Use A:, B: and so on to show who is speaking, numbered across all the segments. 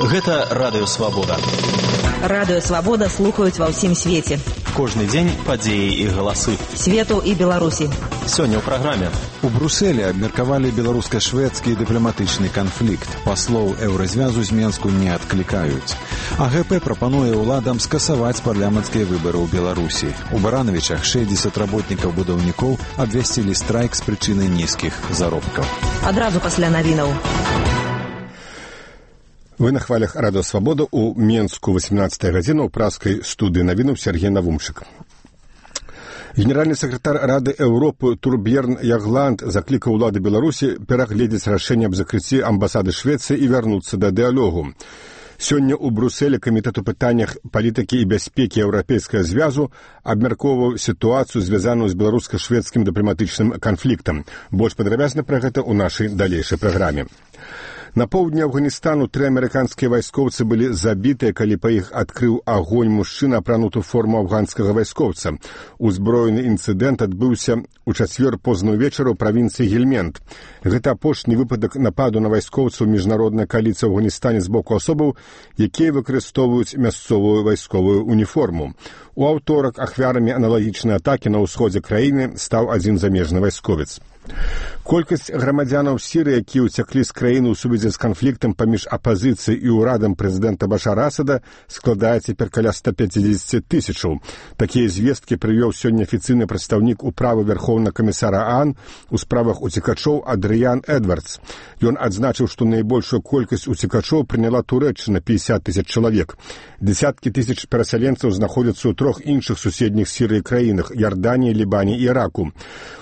A: Гэта Радыё Свабода.
B: Радыё Свабода слухаюць ва ўсім свеце.
A: Кожны дзень падзеі і галасы.
B: Свету і Беларусі.
A: Сёння ў праграме.
C: У Брусэлі абмеркавалі беларуска-шведскі дыпламатычны канфлікт. Паслоў еўразвязу з Менску не адклікаюць. АГП прапануе ўладам скасаваць парламенцкія выбары ў Беларусі. У Баранавічах 60 работнікаў-будаўнікоў абвясцілі страйк з прычыны нізкіх заробкаў.
B: Адразу пасля навінаў.
D: Вы на хвалях Радыё Свабода ў Менску 18 гадзіна ў праскай студыі навінаў Сергей Навумчык. Генеральны сакратар Рады Еўропы Турбьерн Ягланд заклікаў улады Беларусі перагледзець рашэнне аб закрыцці амбасады Швецыі і вярнуцца да дыялогу. Сёння ў Брусэлі камітэт у пытаннях палітыкі і бяспекі Еўрапейскага звязу абмяркоўваў сітуацыю, звязаную з беларуска-шведскім дыпламатычным канфліктам. Больш падрабязна пра гэта ў нашай далейшай праграме. На поўдні Афганістану 3 амерыканскія вайскоўцы былі забітыя, калі па іх адкрыў агонь мужчына, апрануты ў форму афганскага вайскоўца. Узброены інцыдэнт адбыўся ў чацвер позна ўвечары ў правінцыі Гельмент. Гэта апошні выпадак нападу на вайскоўцаў міжнароднай кааліцыі ў Афганістане з боку асобаў, якія выкарыстоўваюць мясцовую вайсковую уніформу. У аўторак ахвярамі аналагічнай атакі на ўсходзе краіны стаў адзін замежны вайсковец. Колькасць грамадзянаў Сірыі, якія ўцяклі з краіны ў сувязі з канфліктам паміж апазіцыяй і ўрадам прэзідэнта Башара Асада, складае цяпер каля 150 тысячаў. Такія звесткі прывёў сёння афіцыйны прадстаўнік управы Вярхоўнага камісара ААН у справах уцекачоў Адрыян Эдвардс. Ён адзначыў, што найбольшую колькасць уцекачоў прыняла Турэччына 50 тысяч чалавек. Десяткі тысяч перасяленцаў знаходзяцца ў 3 іншых суседніх Сірыі краінах – Ярданіі, Лібане і Іраку.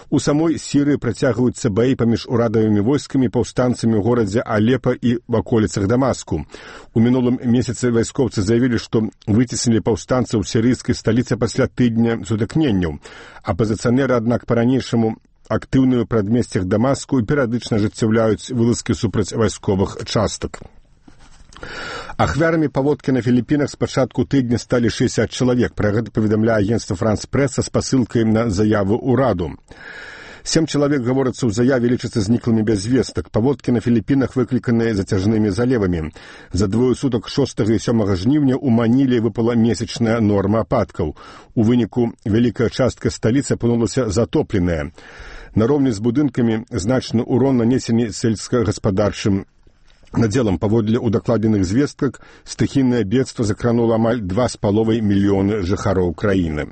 D: У самой Сірыі працягваюцца баі паміж урадавымі войскамі і паўстанцамі ў горадзе Алепа і в аколіцах Дамаску. У мінулым месяцы вайскоўцы заявілі, што выцеснілі паўстанцаў сірыйскай сталіцы пасля тыдня сутыкненняў. Апазіцыянеры, аднак, па-ранейшаму актыўныя ў прадмесцях Дамаску і перыядычна ажыццяўляюць вылазкі супраць вайсковых частак. Ахвярамі паводкі на Філіпінах з пачатку тыдня сталі 60 чалавек. Пра гэта паведамляе агенцтва Франс-Прэса з пасылкай на заяву ўраду. 7 чалавек, гаворыцца ў заяве, лічацца зніклымі без звестак. Паводкі на Філіпінах выкліканыя зацяжнымі залевамі. За двое сутак 6 і 7 жніўня ў Маніле выпала месячная норма ападкаў. У выніку вялікая частка сталіцы апынулася затопленая. Нароўні з будынкамі значны ўрон нанесены сельскагаспадарчым надзелам. Паводле удакладзеных звестках, стыхійнае бедства закранула амаль 2,5 мільёны жыхароў краіны.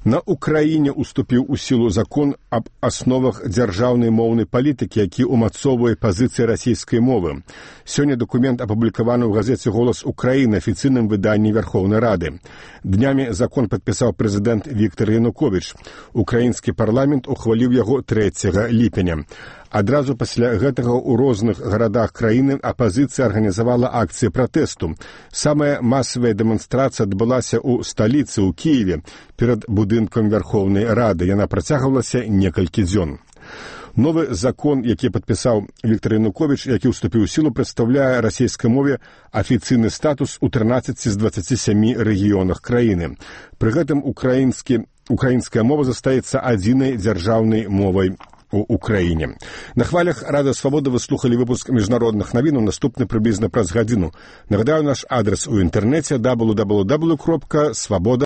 D: На Украіне уступіў у сілу закон аб асновах дзяржаўнай моўнай палітыкі, які ўмацоўвае пазіцыі расійскай мовы. Сёння дакумент апублікаваны ў газеце «Голас Украіны», афіцыйным выданні Верховнай Рады. Днямі закон падпісаў прэзідэнт Віктор Януковіч. Украінскі парламент ухваліў яго 3 ліпеня. Адразу пасля гэтага ў розных гарадах краіны апазіцыя арганізавала акцыі пратэсту. Самая масавая дэманстрацыя адбылася ў сталіцы, ў Кіеве, перад будынкам Верховнай Рады. Яна працягвалася некалькі дзён. Новы закон, які падпісаў Віктор Януковіч, які ўступіў у сілу, прадстаўляе расійскай мове афіцыйны статус у 13 з 27 рэгіёнах краіны. Пры гэтым украінская мова застаецца адзінай дзяржаўнай мовай у Украіне. На хвалях Радыё Свабода вы слухалі выпуск міжнародных навінаў, наступны прыблізна праз гадзіну. Нагадаю, наш адрес у інтэрнэце www.swaboda.org.